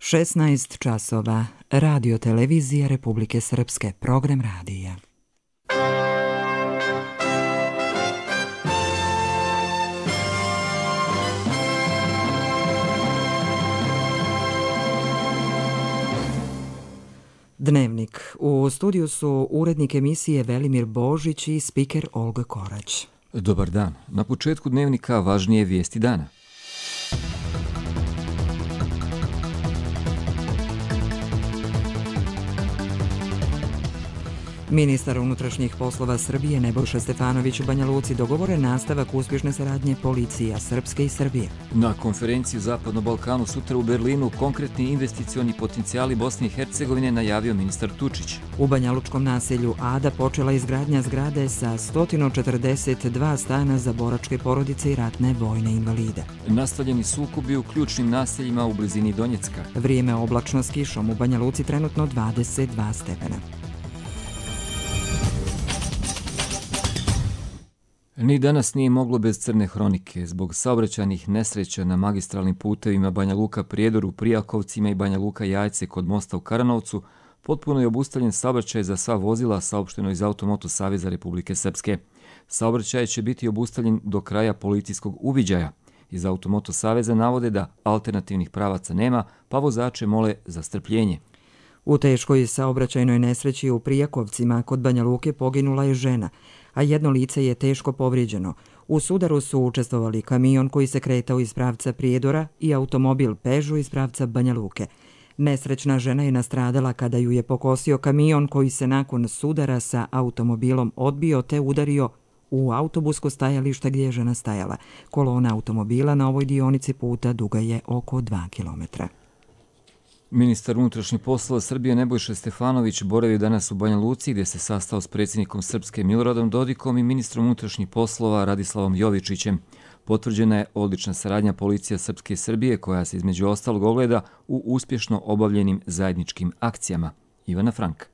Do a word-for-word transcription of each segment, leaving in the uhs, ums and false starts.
šesnaest časova. Radio televizija Republike Srpske. Program radija. Dnevnik. U studiju su urednik emisije Velimir Božić i spiker Olga Korać. Dobar dan. Na početku dnevnika važnije vijesti dana. Ministar unutrašnjih poslova Srbije Nebojša Stefanović u Banja Luci dogovore nastavak uspješne saradnje policija Srpske i Srbije. Na konferenciji u Zapadnom Balkanu sutra u Berlinu konkretni investicioni potencijali Bosne i Hercegovine najavio ministar Tučić. U banjalučkom naselju Ada počela izgradnja zgrade sa sto četrdeset dva stana za boračke porodice i ratne vojne invalide. Nastavljeni sukobi u ključnim naseljima u blizini Donjecka. Vrijeme oblačno s kišom u Banja Luci trenutno dvadeset dva stepena. Ni danas nije moglo bez crne hronike. Zbog saobraćajnih nesreća na magistralnim putevima Banja Luka-Prijedor u Prijakovcima i Banja Luka-Jajce kod mosta u Karanovcu potpuno je obustavljen saobraćaj za sva vozila, saopšteno iz Automoto saveza Republike Srpske. Saobraćaj će biti obustavljen do kraja policijskog uviđaja. Iz Automoto saveza navode da alternativnih pravaca nema, pa vozače mole za strpljenje. U teškoj saobraćajnoj nesreći u Prijakovcima kod Banja Luke poginula je žena, a jedno lice je teško povrijeđeno. U sudaru su učestvovali kamion koji se kretao iz pravca Prijedora i automobil Peugeot iz pravca Banja Luke. Nesrećna žena je nastradala kada ju je pokosio kamion koji se nakon sudara sa automobilom odbio te udario u autobusko stajalište gdje je žena stajala. Kolona automobila na ovoj dionici puta duga je oko dva kilometra. Ministar unutrašnjih poslova Srbije Nebojša Stefanović boravio danas u Banja Luci gdje se sastao s predsjednikom Srpske Miloradom Dodikom i ministrom unutrašnjih poslova Radislavom Jovičićem. Potvrđena je odlična saradnja policija Srpske i Srbije koja se između ostalog ogleda u uspješno obavljenim zajedničkim akcijama. Ivana Frank.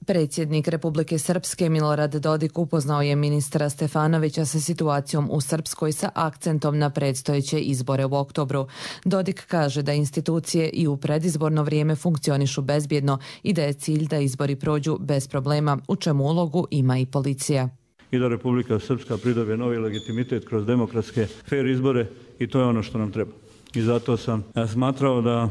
Predsjednik Republike Srpske Milorad Dodik upoznao je ministra Stefanovića sa situacijom u Srpskoj sa akcentom na predstojeće izbore u oktobru. Dodik kaže da institucije i u predizborno vrijeme funkcionišu bezbjedno i da je cilj da izbori prođu bez problema, u čemu ulogu ima i policija. I da Republika Srpska pridobije novi legitimitet kroz demokratske fair izbore i to je ono što nam treba. I zato sam ja smatrao da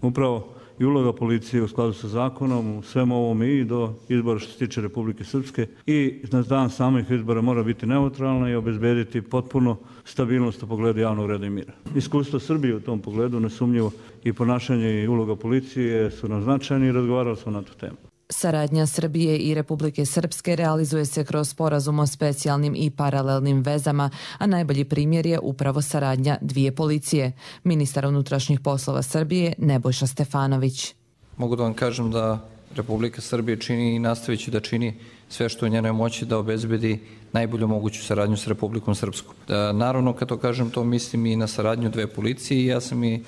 upravo i uloga policije u skladu sa zakonom, u svemu ovom i do izbora što se tiče Republike Srpske i na dan samih izbora mora biti neutralna i obezbediti potpuno stabilnost u pogledu javnog reda i mira. Iskustvo Srbije u tom pogledu, nesumnjivo, i ponašanje i uloga policije su nam značajni i razgovarali smo na tu temu. Saradnja Srbije i Republike Srpske realizuje se kroz sporazum o specijalnim i paralelnim vezama, a najbolji primjer je upravo saradnja dvije policije. Ministar unutrašnjih poslova Srbije Nebojša Stefanović. Mogu da vam kažem da Republika Srbije čini i nastavit će da čini sve što je u njenoj moći da obezbedi najbolju moguću saradnju s Republikom Srpskom. Da, naravno, kad to kažem, to mislim i na saradnju dve policije i ja sam i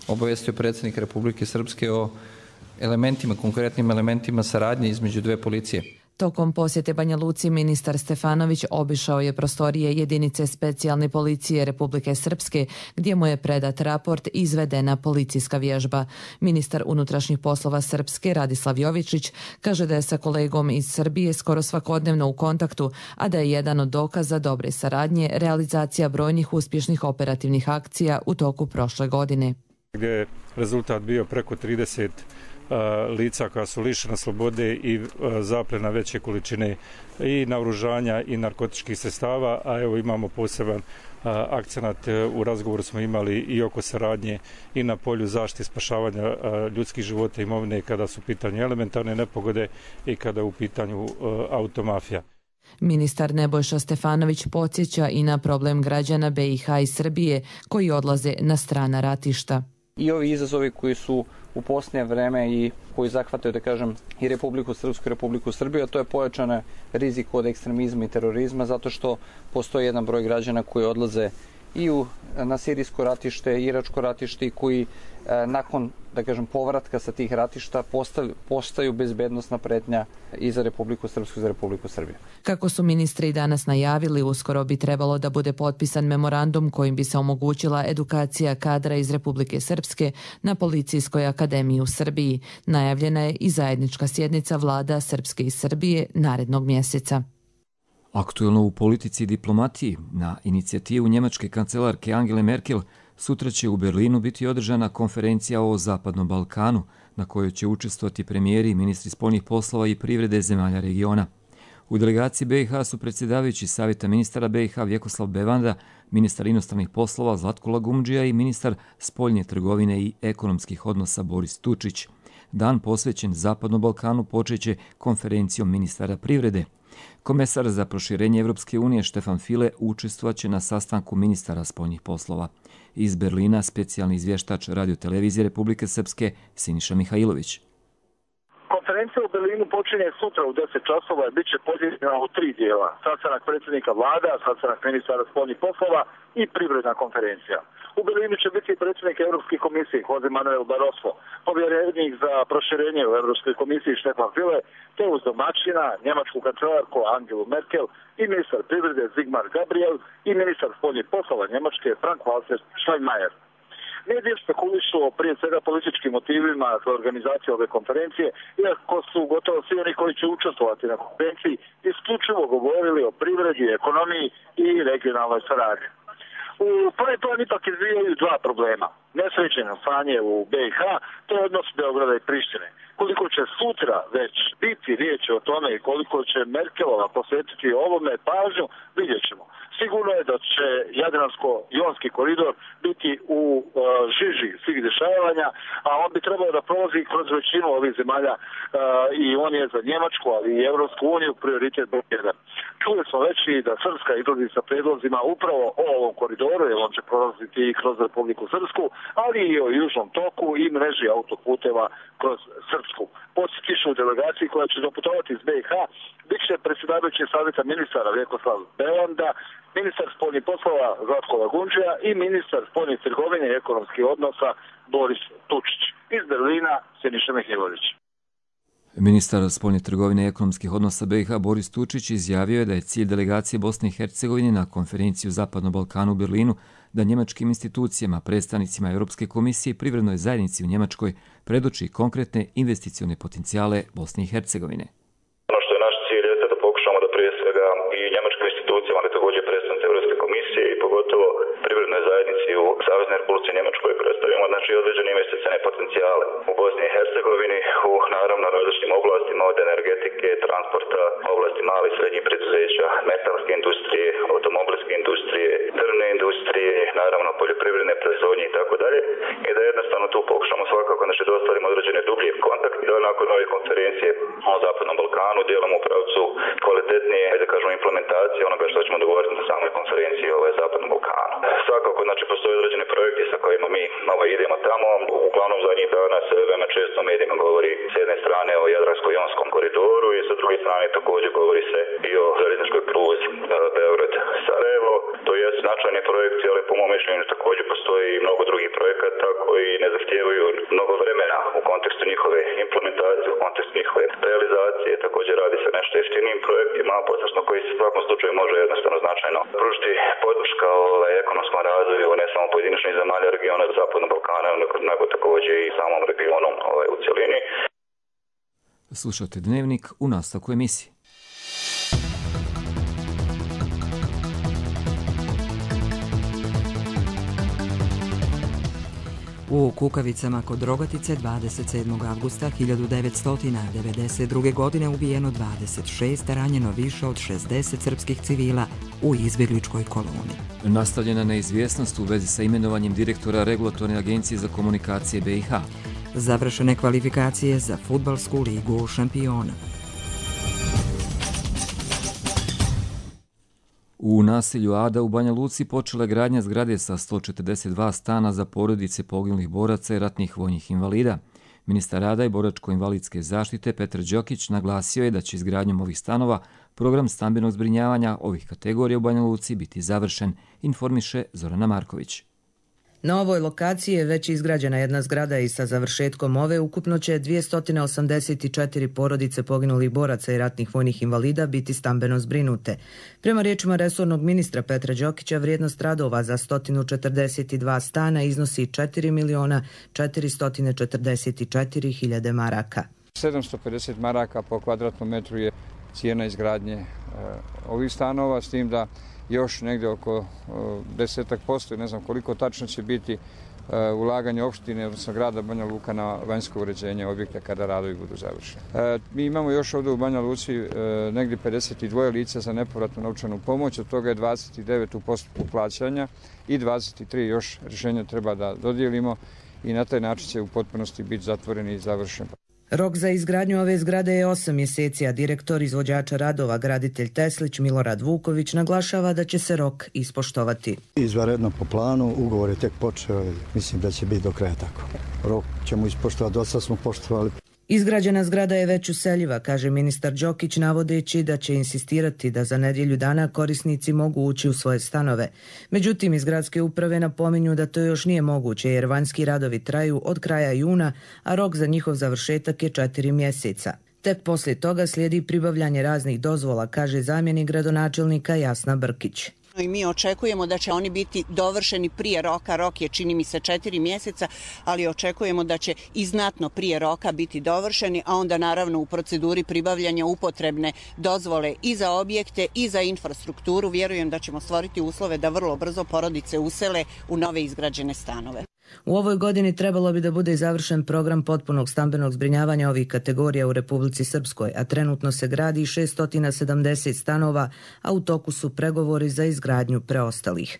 obavestio predsjednika Republike Srpske o elementima, konkretnim elementima saradnje između dve policije. Tokom posjete Banja Luci ministar Stefanović obišao je prostorije jedinice specijalne policije Republike Srpske gdje mu je predat raport i izvedena policijska vježba. Ministar unutrašnjih poslova Srpske Radislav Jovičić kaže da je sa kolegom iz Srbije skoro svakodnevno u kontaktu, a da je jedan od dokaza dobre saradnje realizacija brojnih uspješnih operativnih akcija u toku prošle godine. Gdje je rezultat bio preko trideset lica koja su lišena slobode i zaplena veće količine i naoružanja i narkotičkih sredstava, a evo imamo poseban akcenat, u razgovoru smo imali i oko saradnje i na polju zaštite spašavanja ljudskih života i imovine kada su u pitanju elementarne nepogode i kada je u pitanju automafija. Ministar Nebojša Stefanović podsjeća i na problem građana B i H i Srbije koji odlaze na strana ratišta. I ovi izazovi koji su u posljednje vreme i koji zahvataju, da kažem, i Republiku Srpsku i Republiku Srbiju, a to je pojačan rizik od ekstremizma i terorizma, zato što postoji jedan broj građana koji odlaze i u, na sirijsko ratište, iračko ratište, koji e, nakon, da kažem, povratka sa tih ratišta postaju, postaju bezbednosna pretnja i za Republiku Srpsku i za Republiku Srbiju. Kako su ministri danas najavili, uskoro bi trebalo da bude potpisan memorandum kojim bi se omogućila edukacija kadra iz Republike Srpske na Policijskoj akademiji u Srbiji. Najavljena je i zajednička sjednica vlada Srpske i Srbije narednog mjeseca. Aktuelno u politici i diplomatiji, na inicijativu njemačke kancelarke Angele Merkel, sutra će u Berlinu biti održana konferencija o Zapadnom Balkanu, na kojoj će učestvovati premijeri i ministri spoljnih poslova i privrede zemalja regiona. U delegaciji B i H su predsjedavajući Savjeta ministara B i H Vjekoslav Bevanda, ministar inostranih poslova Zlatko Lagumdžija i ministar spoljne trgovine i ekonomskih odnosa Boris Tučić. Dan posvećen Zapadnom Balkanu počeće konferencijom ministara privrede. Komesar za proširenje Evropske unije Štefan File učestvovaće na sastanku ministara spoljnih poslova. Iz Berlina specijalni izvještač radiotelevizije Republike Srpske Siniša Mihajlović. Konferencija u Berlinu počinje sutra u deset časova i bit će podijeljena u tri dijela. Sastanak predsjednika vlada, sastanak ministara spoljnih poslova i privredna konferencija. U Berlinu će biti predsjednik Europske komisije Jose Manuel Barroso, povjerenik za proširenje u Europskoj komisiji Štefan File, te uz domaćina njemačku kancelarku Angelu Merkel i ministar privrede Sigmar Gabriel i ministar spoljnih poslova Njemačke Frank-Walter Steinmeier. Mediji spekulišu o prije svega političkim motivima za organizaciju ove konferencije, iako su gotovo svi oni koji će učestvovati na konferenciji isključivo govorili o privredi, ekonomiji i regionalnoj saradnji. U prvi plan ipak izvijaju dva problema. Nesređeno stanje u B i H, to je odnos Beograda i Prištine. Koliko će sutra već biti riječ o tome i koliko će Merkelova posvetiti ovome pažnju, vidjet ćemo. Sigurno je da će Jadransko-jonski koridor biti u uh, žiži svih dešavanja, a on bi trebao da prolazi kroz većinu ovih zemalja uh, i on je za Njemačku, ali i Evropsku uniju prioritet broj jedan. Čuli smo već i da Srpska izlazi sa predlozima upravo o ovom koridoru, jer on će prolaziti i kroz Republiku Srpsku, ali i o južnom toku i mreži autoputeva kroz Srpsku. Podsjetišu u delegaciji koja će doputovati iz B i H bit će predsjedavajući Savjeta ministara Vjekoslav Bevanda, ministar spoljnih poslova Zlatko Lagumdžija i ministar spoljnih trgovine i ekonomskih odnosa Boris Tučić. Iz Berlina Siniša Mihajlović. Ministar spoljne trgovine i ekonomskih odnosa B i H Boris Tučić izjavio je da je cilj delegacije Bosne i Hercegovine na konferenciju Zapadnom Balkanu u Berlinu da njemačkim institucijama, predstavnicima Europske komisije i privrednoj zajednici u Njemačkoj predoči konkretne investicione potencijale Bosne i Hercegovine. Ono što je naš cilj je da pokušamo da prije svega i njemačkim institucijama, ali također predstavnici Europske komisije i pogotovo privrednoj zajednici u Saveznoj Republici Njemačkoj predstavimo znači određene investicione potencijale u Bosni i Hercegovini, u naravno različitim oblastima od energetike, transporta, oblasti malih i srednjih preduzeća, metalske industrije, automobilske industrije, drvne industrije, naravno poljoprivredne proizvodnje i tako dalje. I da jednostavno tu pokušamo svakako znači da ostvarimo određene dublje kontakte i da nakon ove konferencije o Zapadnom Balkanu dijelom u pravcu kvalitetnije, da kažemo, implementacije onoga što ćemo dogovoriti na samoj konferenciji o Zapadnom Balkanu. Svakako znači postoje određeni projekti sa kojima mi ovaj, idemo tamo. Uglavnom zadnjih dana se veoma često u medijima govori s jedne strane o Jadransko-jonskom koridoru i sa druge strane također govori se i o željezničkoj pruzi Beograd-Sarajevo. To je značajni projekti, ali po mom mišljenju također postoji i mnogo drugih projekata koji ne zahtijevaju mnogo vremena u kontekstu njihove implementacije, u kontekstu njihove realizacije. Također radi se nešto jeftinijim projektima, posebno koji se u svakom slučaju može jednostavno značajno pružiti podrška ovaj, ekonomskom razvoju ne samo pojedinačnih zemalja regiona Zapadnog Balkana, nego također i samom regionu ovaj, u cjelini. Slušate Dnevnik u nastavku emisije. U Kukavicama kod Rogatice dvadeset sedmog avgusta hiljadu devetsto devedeset druge. godine ubijeno dvadeset šest, ranjeno više od šezdeset srpskih civila u izbjegličkoj koloni. Nastavljena neizvjesnost u vezi sa imenovanjem direktora Regulatorne agencije za komunikacije B i H. Završene kvalifikacije za fudbalsku ligu šampiona. U naselju Ada u Banja Luci počela gradnja zgrade sa sto četrdeset dva stana za porodice poginulih boraca i ratnih vojnih invalida. Ministar rada i boračko-invalidske zaštite Petar Đokić naglasio je da će izgradnjom ovih stanova program stambenog zbrinjavanja ovih kategorija u Banja Luci biti završen, informiše Zorana Marković. Na ovoj lokaciji je već izgrađena jedna zgrada i sa završetkom ove ukupno će dvjesto osamdeset četiri porodice poginulih boraca i ratnih vojnih invalida biti stambeno zbrinute. Prema riječima resornog ministra Petra Đokića, vrijednost radova za sto četrdeset dva stana iznosi četiri miliona četiristo četrdeset četiri hiljade maraka. sedamsto pedeset maraka po kvadratnom metru je cijena izgradnje e, ovih stanova, s tim da još negdje oko desetak posto, ne znam koliko tačno će biti e, ulaganje opštine, odnosno grada Banja Luka na vanjsko uređenje objekta kada radovi budu završeni. E, mi imamo još ovdje u Banja Luci e, negdje pedeset dva lica za nepovratnu novčanu pomoć, od toga je dvadeset devet u postupku plaćanja i dvadeset tri još rješenja treba da dodijelimo i na taj način će u potpunosti biti zatvoren i završen. Rok za izgradnju ove zgrade je osam mjeseci, a direktor izvođača radova, graditelj Teslić Milorad Vuković, naglašava da će se rok ispoštovati. Izvanredno po planu, ugovor je tek počeo i mislim da će biti do kraja tako. Rok ćemo ispoštovati, do sada smo poštovali. Izgrađena zgrada je već useljiva, kaže ministar Đokić, navodeći da će insistirati da za nedjelju dana korisnici mogu ući u svoje stanove. Međutim, iz gradske uprave napominju da to još nije moguće jer vanjski radovi traju od kraja juna, a rok za njihov završetak je četiri mjeseca. Tek poslije toga slijedi pribavljanje raznih dozvola, kaže zamjenik gradonačelnika Jasna Brkić. I mi očekujemo da će oni biti dovršeni prije roka, rok je čini mi se četiri mjeseca, ali očekujemo da će i znatno prije roka biti dovršeni, a onda naravno u proceduri pribavljanja upotrebne dozvole i za objekte i za infrastrukturu. Vjerujem da ćemo stvoriti uslove da vrlo brzo porodice usele u nove izgrađene stanove. U ovoj godini trebalo bi da bude završen program potpunog stambenog zbrinjavanja ovih kategorija u Republici Srpskoj, a trenutno se gradi šesto sedamdeset stanova, a u toku su pregovori za izgradnju preostalih.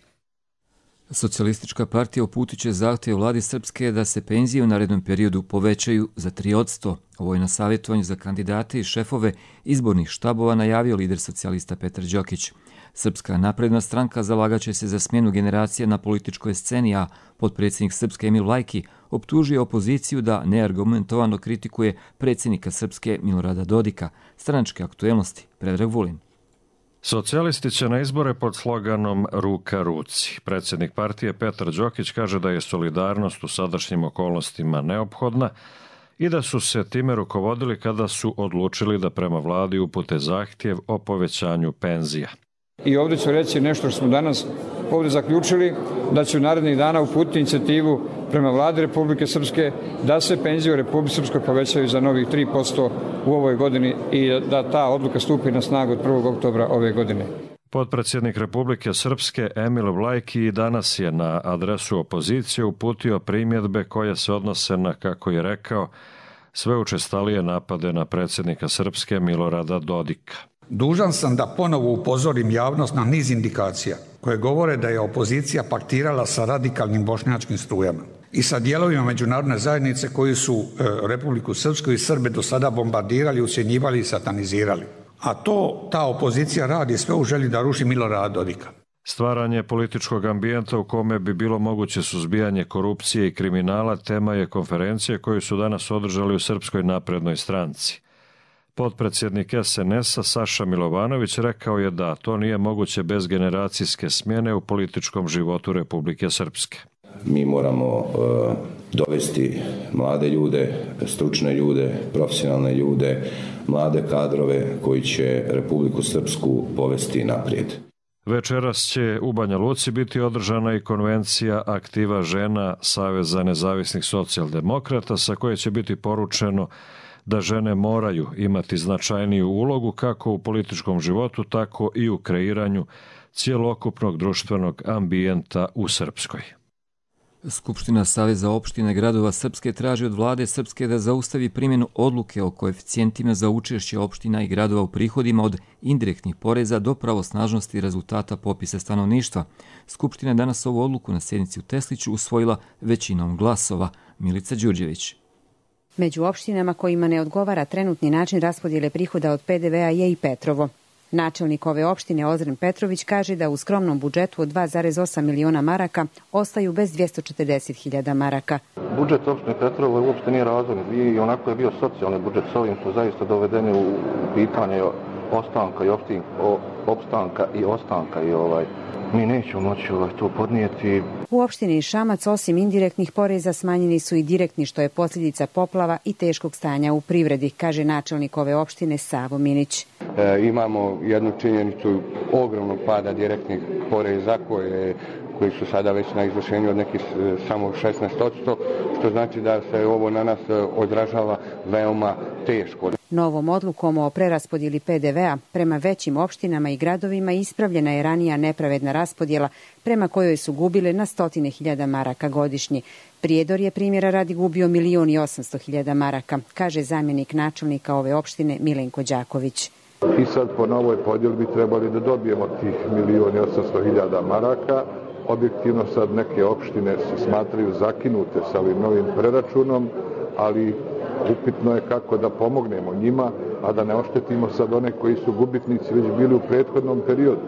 Socijalistička partija uputit će zahtjev vladi Srpske da se penzije u narednom periodu povećaju za tri posto. Ovo je na savjetovanju za kandidate i šefove izbornih štabova najavio lider socijalista Petar Đokić. Srpska napredna stranka zalagaće se za smjenu generacije na političkoj sceni, a potpredsjednik Srpske Emil Lajki optužio opoziciju da neargumentovano kritikuje predsjednika Srpske Milorada Dodika. Stranačke aktuelnosti, Predrag Vulin. Socijalisti će na izbore pod sloganom Ruka ruci. Predsjednik partije Petar Đokić kaže da je solidarnost u sadašnjim okolnostima neophodna i da su se time rukovodili kada su odlučili da prema vladi upute zahtjev o povećanju penzija. I ovdje ću reći nešto što smo danas ovdje zaključili, da će u narednih dana uputiti inicijativu prema vladi Republike Srpske da se penzije u Republike Srpskoj povećaju za novih tri posto u ovoj godini i da ta odluka stupi na snagu od prvog oktobra ove godine. Potpredsjednik Republike Srpske Emil Vlajki danas je na adresu opozicije uputio primjedbe koje se odnose na, kako je rekao, sve učestalije napade na predsjednika Srpske Milorada Dodika. Dužan sam da ponovo upozorim javnost na niz indikacija koje govore da je opozicija paktirala sa radikalnim bošnjačkim strujama i sa dijelovima međunarodne zajednice koji su e, Republiku Srpsku i Srbe do sada bombardirali, ucjenjivali i satanizirali. A to ta opozicija radi sve u želji da ruši Milorada Dodika. Stvaranje političkog ambijenta u kome bi bilo moguće suzbijanje korupcije i kriminala tema je konferencije koju su danas održali u Srpskoj naprednoj stranci. Potpredsjednik es en es-a Saša Milovanović rekao je da to nije moguće bez generacijske smjene u političkom životu Republike Srpske. Mi moramo uh, dovesti mlade ljude, stručne ljude, profesionalne ljude, mlade kadrove koji će Republiku Srpsku povesti naprijed. Večeras će u Banja Luci biti održana i konvencija aktiva žena Saveza nezavisnih socijaldemokrata, sa koje će biti poručeno da žene moraju imati značajniju ulogu kako u političkom životu, tako i u kreiranju cjelokupnog društvenog ambijenta u Srpskoj. Skupština Saveza opštine gradova Srpske traži od vlade Srpske da zaustavi primjenu odluke o koeficijentima za učešće opština i gradova u prihodima od indirektnih poreza do pravosnažnosti rezultata popisa stanovništva. Skupština je danas ovu odluku na sjednici u Tesliću usvojila većinom glasova. Milica Đurđević. Među opštinama kojima ne odgovara trenutni način raspodjele prihoda od pe de ve a je i Petrovo. Načelnik ove opštine Ozren Petrović kaže da u skromnom budžetu od dva zarez osam miliona maraka ostaju bez dvjesto četrdeset hiljada maraka. Budžet opštine Petrovo uopšte nije razvojni i onako je bio socijalni budžet. S ovim su zaista dovedeni u pitanje ostanka i opstin, o, opstanka i ostanka i ovaj mi nećemo moći ovaj, to podnijeti. U opštini Šamac osim indirektnih poreza smanjeni su i direktni, što je posljedica poplava i teškog stanja u privredi, kaže načelnik ove opštine Savo Minić. E, imamo jednu činjenicu ogromnog pada direktnih poreza koje koji su sada već na izvršenju od nekih samo šesnaest posto, što znači da se ovo na nas odražava veoma teško. Novom odlukom o preraspodjeli P D V-a prema većim opštinama i gradovima ispravljena je ranija nepravedna raspodjela prema kojoj su gubile na stotine hiljada maraka godišnje. Prijedor je primjera radi gubio milion i osamsto hiljada maraka, kaže zamjenik načelnika ove opštine Milenko Đaković. I sad po novoj podjeli bi trebali da dobijemo tih milion i osamsto hiljada maraka. Objektivno sad neke opštine se smatraju zakinute sa ovim novim preračunom, ali upitno je kako da pomognemo njima, a da ne oštetimo sad one koji su gubitnici već bili u prethodnom periodu.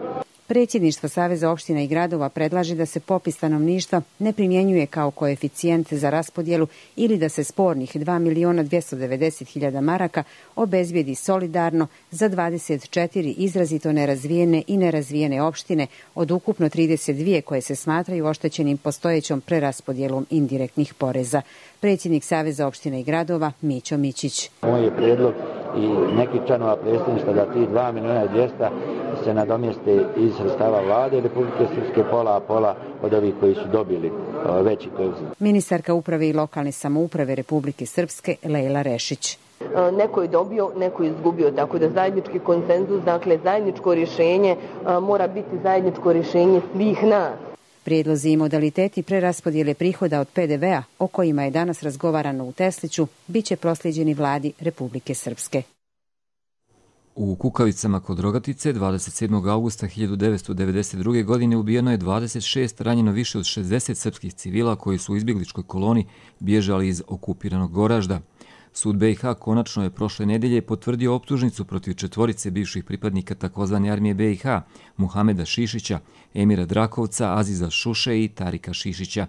Predsjedništvo Saveza opština i gradova predlaže da se popis stanovništva ne primjenjuje kao koeficijent za raspodjelu ili da se spornih dva miliona dvjesto devedeset hiljada maraka obezbijedi solidarno za dvadeset četiri izrazito nerazvijene i nerazvijene opštine od ukupno trideset dvije koje se smatraju oštećenim postojećom preraspodjelom indirektnih poreza. Predsjednik Saveza opština i gradova Mićo Mićić. Moj je prijedlog i neki članova predsjedništva da ti dva miliona i dvjesto se nadomjeste iz sredstava vlade Republike Srpske, pola a pola od ovih koji su dobili veći koeficijent. Ministarka uprave i lokalne samouprave Republike Srpske Lejla Rešić. Neko je dobio, neko je izgubio, tako da zajednički konsenzus, dakle zajedničko rješenje mora biti zajedničko rješenje svih nas. Prijedlozi i modaliteti preraspodjele prihoda od P D V-a, o kojima je danas razgovarano u Tesliću, bit će proslijeđeni vladi Republike Srpske. U Kukavicama kod Rogatice dvadeset sedmog augusta hiljadu devetsto devedeset druge. godine ubijeno je dvadeset šest, ranjeno više od šezdeset srpskih civila koji su u izbjegličkoj koloni bježali iz okupiranog Goražda. Sud B i H konačno je prošle nedelje potvrdio optužnicu protiv četvorice bivših pripadnika takozvane armije B i H, Muhameda Šišića, Emira Drakovca, Aziza Šuše i Tarika Šišića.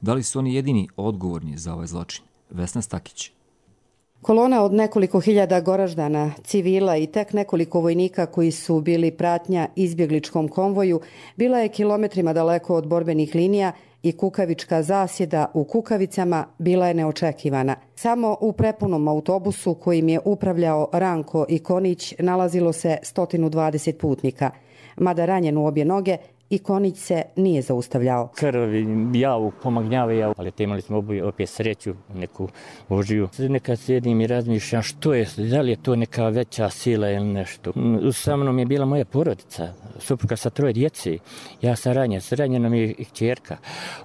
Da li su oni jedini odgovorni za ovaj zločin? Vesna Stakić. Kolona od nekoliko hiljada Goraždana, civila i tek nekoliko vojnika koji su bili pratnja izbjegličkom konvoju bila je kilometrima daleko od borbenih linija i kukavička zasjeda u Kukavicama bila je neočekivana. Samo u prepunom autobusu kojim je upravljao Ranko Ikonić nalazilo se sto dvadeset putnika. Mada ranjen u obje noge, Ikonić se nije zaustavljao. Krv, javu, pomagnjava javu, ali imali smo oboje opet sreću, neku Božiju. Nekad sjedim i razmišljam što je, da li je to neka veća sila ili nešto. Sa mnom je bila moja porodica, supruga sa troje djece. Ja sam ranjen, ranjena mi je i kćerka.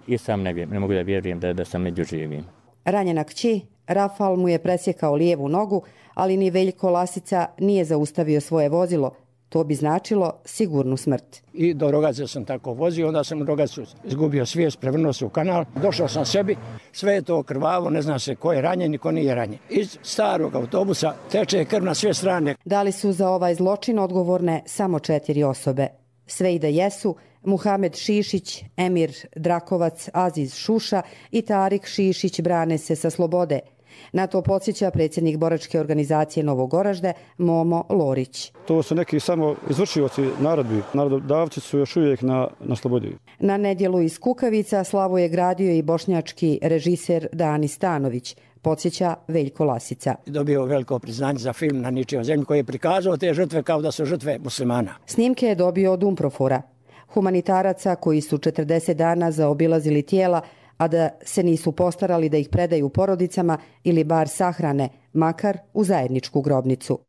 I sam ne, ne mogu da vjerujem da, da sam među živim. Ranjena kći, Rafal mu je presjekao lijevu nogu, ali ni Veljko Lasica nije zaustavio svoje vozilo. To bi značilo sigurnu smrt. I do Rogaze sam tako vozio, onda sam u Rogacu izgubio svijest, prevrnuo se u kanal, došao sam sebi, sve je to krvavo, ne zna se ko je ranjen i ko nije ranjen. Iz starog autobusa teče krv na sve strane. Da li su za ovaj zločin odgovorne samo četiri osobe? Sve i da jesu, Muhamed Šišić, Emir Drakovac, Aziz Šuša i Tarik Šišić brane se sa slobode. Na to podsjeća predsjednik boračke organizacije Novog Goražde, Momo Lorić. To su neki samo izvršioci narodbi. Narododavci su još uvijek na, na slobodi. Na nedjelu iz Kukavica slavu je gradio i bošnjački režiser Dani Stanović, podsjeća Veljko Lasica. Dobio veliko priznanje za film Na ničijoj zemlji koji je prikazao te žrtve kao da su žrtve muslimana. Snimke je dobio od Umprofora, humanitaraca koji su četrdeset dana zaobilazili tijela, a da se nisu postarali da ih predaju porodicama ili bar sahrane, makar u zajedničku grobnicu.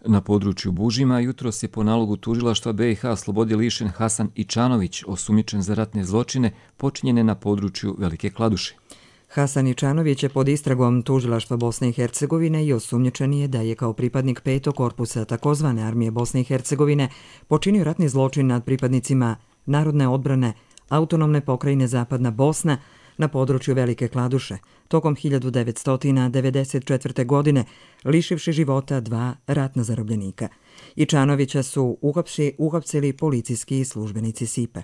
Na području Bužima jutros je po nalogu tužilaštva B i H slobode lišen Hasan Ičanović, osumnjičen za ratne zločine počinjene na području Velike Kladuše. Hasan Ičanović je pod istragom tužilaštva Bosne i Hercegovine i osumnjičen je da je kao pripadnik petog korpusa takozvane armije Bosne i Hercegovine počinio ratni zločin nad pripadnicima narodne odbrane Autonomne pokrajine Zapadna Bosna na području Velike Kladuše tokom hiljadu devetsto devedeset četvrte. godine, lišivši života dva ratna zarobljenika. Ičanovića su uhapsi, uhapsili policijski službenici Sipe.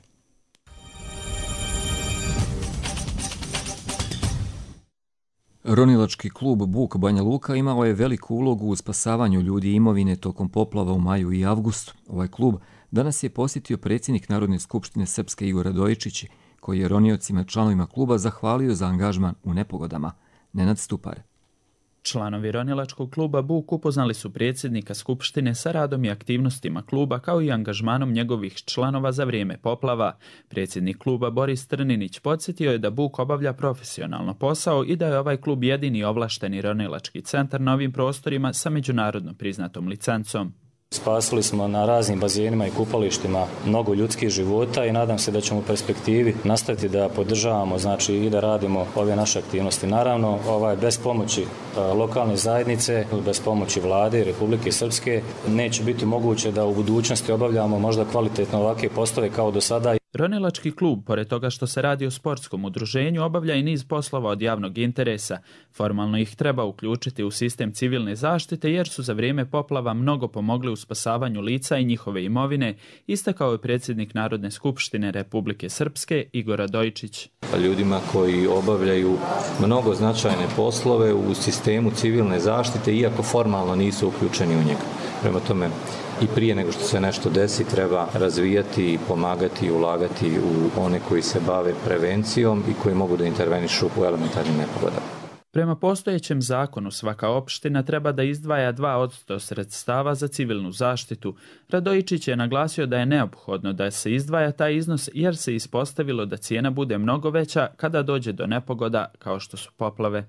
Ronilački klub Buk Banja Luka imao je veliku ulogu u spasavanju ljudi i imovine tokom poplava u maju i avgustu. Ovaj klub danas je posjetio predsjednik Narodne skupštine Srpske Igor Radojičić, koji je roniocima članovima kluba zahvalio za angažman u nepogodama. Nenad Stupar. Članovi Ronilačkog kluba Buk upoznali su predsjednika Skupštine sa radom i aktivnostima kluba kao i angažmanom njegovih članova za vrijeme poplava. Predsjednik kluba Boris Trninić podsjetio je da Buk obavlja profesionalno posao i da je ovaj klub jedini ovlašteni ronilački centar na ovim prostorima sa međunarodno priznatom licencom. Spasili smo na raznim bazenima i kupalištima mnogo ljudskih života i nadam se da ćemo u perspektivi nastaviti da podržavamo, znači i da radimo ove naše aktivnosti. Naravno, ovaj, bez pomoći lokalne zajednice, bez pomoći vlade Republike Srpske neće biti moguće da u budućnosti obavljamo možda kvalitetno ovakve poslove kao do sada. Ronilački klub, pored toga što se radi o sportskom udruženju, obavlja i niz poslova od javnog interesa. Formalno ih treba uključiti u sistem civilne zaštite jer su za vrijeme poplava mnogo pomogli u spasavanju lica i njihove imovine, istakao je predsjednik Narodne skupštine Republike Srpske Igor Radojičić. Ljudima koji obavljaju mnogo značajne poslove u sistemu civilne zaštite, iako formalno nisu uključeni u njega. Prema tome, i prije nego što se nešto desi, treba razvijati i pomagati i ulagati u one koji se bave prevencijom i koji mogu da intervenišu u elementarnim nepogodama. Prema postojećem zakonu, svaka opština treba da izdvaja dva posto sredstava za civilnu zaštitu. Radojičić je naglasio da je neophodno da se izdvaja taj iznos jer se ispostavilo da cijena bude mnogo veća kada dođe do nepogoda kao što su poplave.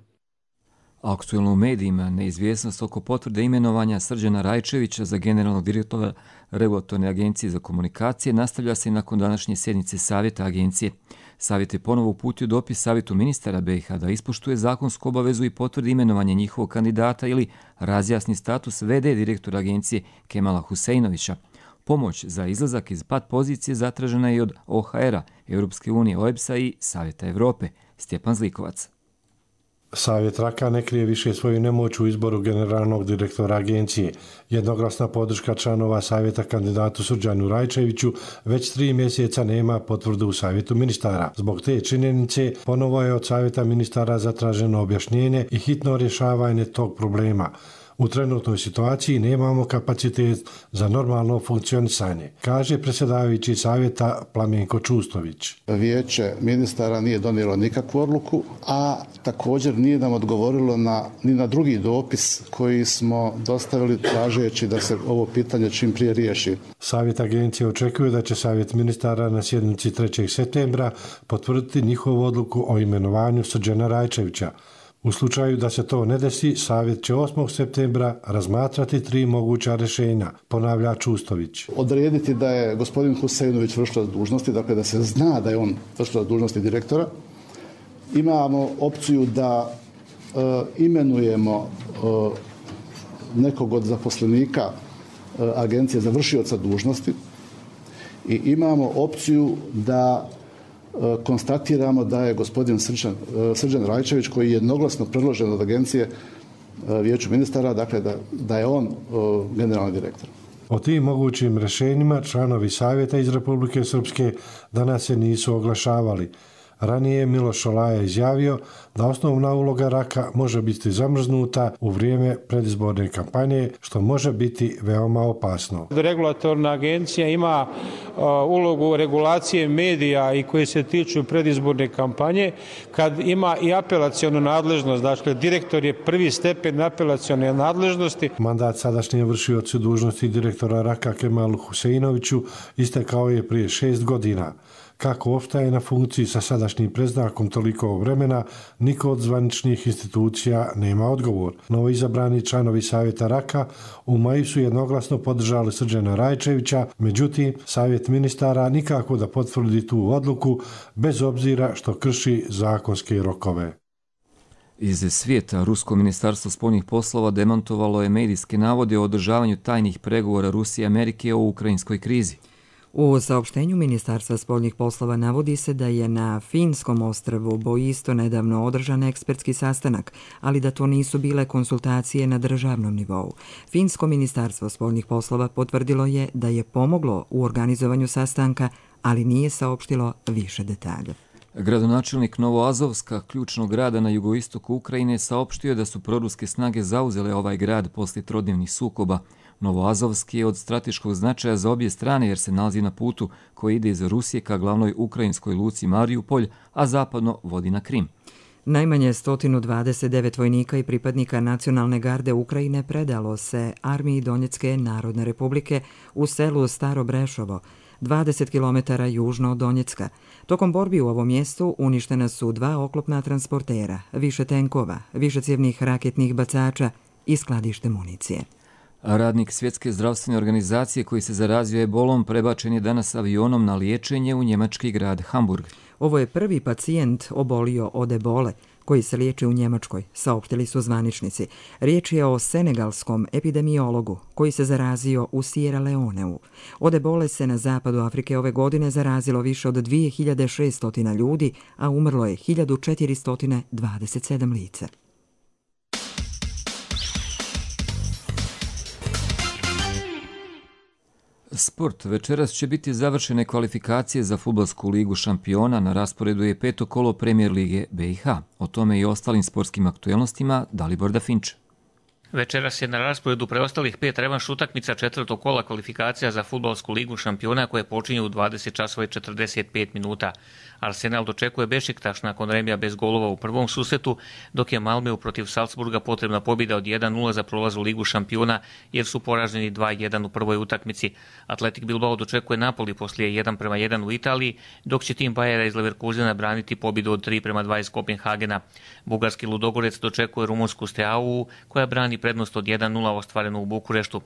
Aktuelno u medijima neizvjesnost oko potvrde imenovanja Srđana Rajčevića za generalnog direktora Regulatorne agencije za komunikacije nastavlja se nakon današnje sjednice Savjeta agencije. Savjet je ponovo uputio dopis Savjetu ministara B i H da ispoštuje zakonsku obavezu i potvrdi imenovanje njihovog kandidata ili razjasni status V D direktora agencije Kemala Huseinovića. Pomoć za izlazak iz pat pozicije zatražena je od O H R-a, Europske unije, O E B S-a i Savjeta Evrope. Stjepan Zlikovac. Savjet Raka ne krije više svoju nemoć u izboru generalnog direktora agencije. Jednoglasna podrška članova savjeta kandidatu Srđanu Rajčeviću već tri mjeseca nema potvrdu u savjetu ministara. Zbog te činjenice ponovo je od savjeta ministara zatraženo objašnjenje i hitno rješavanje tog problema. U trenutnoj situaciji nemamo kapacitet za normalno funkcionisanje, kaže predsjedavajući savjeta Plamenko Čustović. Vijeće ministara nije donijelo nikakvu odluku, a također nije nam odgovorilo na, ni na drugi dopis koji smo dostavili tražeći da se ovo pitanje čim prije riješi. Savjet agencije očekuje da će savjet ministara na sjednici trećeg septembra potvrditi njihovu odluku o imenovanju Srđana Rajčevića. U slučaju da se to ne desi, savjet će osmog septembra razmatrati tri moguća rješenja, ponavlja Čustović. Odrediti da je gospodin Huseinović vršilac dužnosti, dakle da se zna da je on vršilac dužnosti direktora. Imamo opciju da e, imenujemo e, nekog od zaposlenika e, agencije za vršioca dužnosti i imamo opciju da konstatiramo da je gospodin Srđan, Srđan Rajčević, koji je jednoglasno predložen od agencije vijeću ministara, dakle da, da je on generalni direktor. O tim mogućim rješenjima članovi savjeta iz Republike Srpske danas se nisu oglašavali. Ranije je Miloš Šolaja izjavio da osnovna uloga Raka može biti zamrznuta u vrijeme predizborne kampanje, što može biti veoma opasno. Regulatorna agencija ima uh, ulogu regulacije medija i koje se tiču predizborne kampanje, kad ima i apelacionu nadležnost, dakle direktor je prvi stepen apelacione nadležnosti. Mandat sadašnje vršioci dužnosti direktora Raka Kemalu Huseinoviću istekao je prije šest godina. Kako ostaje na funkciji sa sadašnjim predznakom toliko vremena, niko od zvaničnih institucija nema odgovor. Novoizabrani članovi savjeta Raka u maju su jednoglasno podržali Srđana Rajčevića, međutim, savjet ministara nikako da potvrdi tu odluku, bez obzira što krši zakonske rokove. Iz svijeta, Rusko ministarstvo spoljnih poslova demantovalo je medijske navode o održavanju tajnih pregovora Rusije i Amerike o ukrajinskoj krizi. U saopštenju Ministarstva spoljnih poslova navodi se da je na Finskom ostrvu Boisto nedavno održan ekspertski sastanak, ali da to nisu bile konsultacije na državnom nivou. Finsko ministarstvo spoljnih poslova potvrdilo je da je pomoglo u organizovanju sastanka, ali nije saopštilo više detalja. Gradonačelnik Novoazovska, ključnog grada na jugoistoku Ukrajine, saopštio je da su proruske snage zauzele ovaj grad poslije trodnevnih sukoba. Novoazovski je od strateškog značaja za obje strane jer se nalazi na putu koji ide iz Rusije ka glavnoj ukrajinskoj luci Mariupolj, a zapadno vodi na Krim. Najmanje sto dvadeset devet vojnika i pripadnika Nacionalne garde Ukrajine predalo se armiji Donjecke narodne republike u selu Staro Brešovo, dvadeset kilometara južno od Donjecka. Tokom borbi u ovom mjestu uništena su dva oklopna transportera, više tenkova, višecjevnih raketnih bacača i skladište municije. Radnik Svjetske zdravstvene organizacije koji se zarazio ebolom prebačen je danas avionom na liječenje u njemački grad Hamburg. Ovo je prvi pacijent obolio od ebole koji se liječi u Njemačkoj, saopštili su zvaničnici. Riječ je o senegalskom epidemiologu koji se zarazio u Sierra Leoneu. Od ebole se na zapadu Afrike ove godine zarazilo više od dvije hiljade šesto ljudi, a umrlo je hiljadu četiristo dvadeset sedam lica. Sport. Večeras će biti završene kvalifikacije za fudbalsku ligu šampiona, na rasporedu je peto kolo Premijer lige B i H. O tome i ostalim sportskim aktuelnostima Dalibor Dafinč. Večeras je na rasporedu preostalih pet revanš utakmica četvrtog kola kvalifikacija za fudbalsku ligu šampiona koje počinju u dvadeset časova i četrdeset pet minuta. Arsenal dočekuje Bešiktaš nakon remija bez golova u prvom susretu, dok je Malmeu protiv Salzburga potrebna pobjeda od jedan nula za prolaz u ligu šampiona jer su poraženi dva jedan u prvoj utakmici. Atletik Bilbao dočekuje Napoli poslije jedan prema jedan u Italiji, dok će tim Bayera iz Leverkusena braniti pobjedu od tri prema dva iz Kopenhagena. Bugarski Ludogorec dočekuje rumunsku Steaua koja brani prednost od jedan nula ostvarenu u Bukureštu.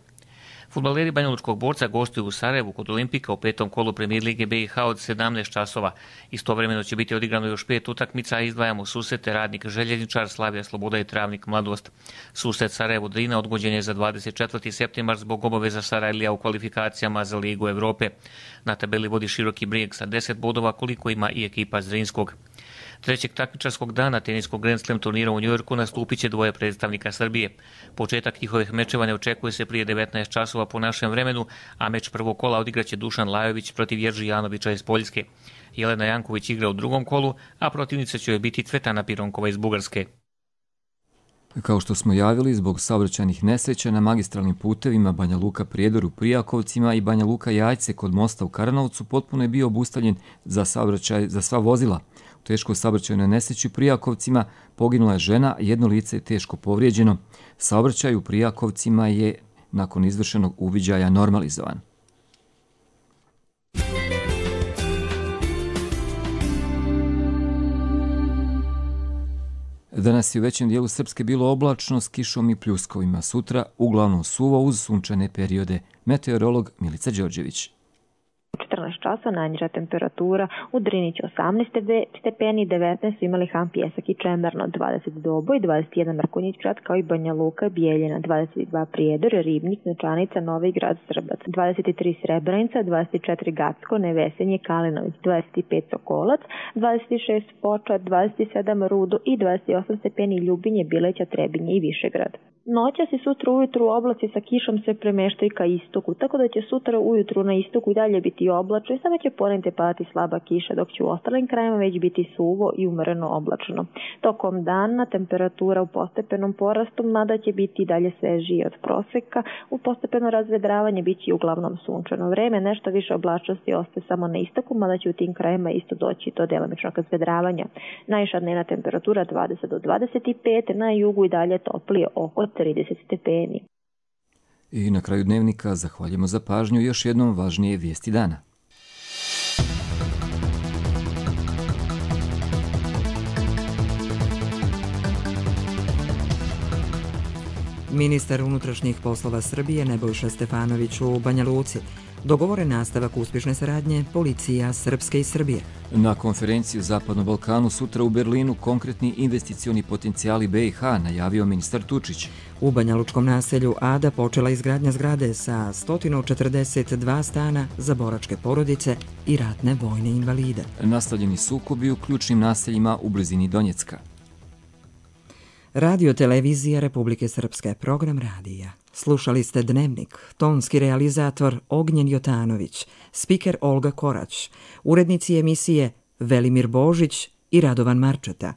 Fudbaleri banjalučkog Borca gostuju u Sarajevu kod Olimpika u petom kolu Premijer lige B i H od sedamnaest časova. Istovremeno će biti odigrano još pet utakmica, a izdvajamo susrete Radnik Željezničar, Slavija Sloboda i Travnik Mladost. Susret Sarajevo Drina odgođen je za dvadeset četvrti septembar zbog obaveza Sarajlija u kvalifikacijama za Ligu Evrope. Na tabeli vodi Široki Brijeg sa deset bodova koliko ima i ekipa Zrinskog. Trećeg takmičarskog dana teniskog Grand Slam turnira u Njujorku nastupit će dvoje predstavnika Srbije. Početak njihovih mečeva ne očekuje se prije devetnaest časova po našem vremenu, a meč prvog kola odigraće Dušan Lajović protiv Jerži Janovića iz Poljske. Jelena Janković igra u drugom kolu, a protivnica će joj biti Cvetana Pironkova iz Bugarske. Kao što smo javili, zbog saobraćajnih nesreća na magistralnim putevima Banja Luka Prijedor u Prijakovcima i Banja Luka Jajce kod mosta u Karanovcu potpuno je bio obustavljen za saobraćaj za sva vozila. U teškoj saobraćajnoj nesreći u Prijakovcima poginula je žena, jedno lice je teško povrijeđeno. Saobraćaj u Prijakovcima je nakon izvršenog uviđaja normalizovan. Danas je u većem dijelu Srpske bilo oblačno s kišom i pljuskovima. Sutra uglavnom suvo uz sunčane periode. Meteorolog Milica Đorđević. četrnaest časa najniža temperatura u Drini će osamnaest stepeni, devetnaest imali Han, Pjesak i Čemerno, dvadeset Doboj, dvadeset jedan Mrkonjić Grad kao i Banja Luka, Bijeljina, dvadeset dva Prijedor, Ribnik, Novčanica, Novi Grad, Srbac, dvadeset tri Srebrenica, dvadeset četiri Gacko, Nevesenje, Kalinović, dvadeset pet Sokolac, dvadeset šest Foča, dvadeset sedam Rudo i dvadeset osam stepeni Ljubinje, Bileća, Trebinje i Višegrad. Noćas i sutra ujutru oblaci sa kišom se premeštaju ka istoku, tako da će sutra ujutru na istoku i dalje biti oblačno i samo će ponegdje padati slaba kiša, dok će u ostalim krajima već biti suvo i umjereno oblačno. Tokom dana temperatura u postepenom porastu, mada će biti i dalje svežije od proseka, u postepeno razvedravanje bit će uglavnom sunčano vreme, nešto više oblačnosti ostaje samo na istoku, mada će u tim krajima isto doći do delimičnog razvedravanja. Najviša dnevna temperatura dvadeset do dvadeset pet, na jugu i dalje toplije oko trideset stepeni. I na kraju dnevnika zahvaljujemo za pažnju još jednom važnije vijesti dana. Ministar unutrašnjih poslova Srbije Nebojša Stefanović u Banja Luci. Dogovoren nastavak uspješne saradnje policija Srpske i Srbije. Na konferenciji u Zapadnom Balkanu sutra u Berlinu konkretni investicioni potencijali B i H najavio ministar Tučić. U banjalučkom naselju Ada počela izgradnja zgrade sa sto četrdeset dva stana za boračke porodice i ratne vojne invalide. Nastavljeni sukobi u ključnim naseljima u blizini Donjecka. Radio televizija Republike Srpske, program radija. Slušali ste Dnevnik, tonski realizator Ognjen Jotanović, spiker Olga Korać, urednici emisije Velimir Božić i Radovan Marčeta.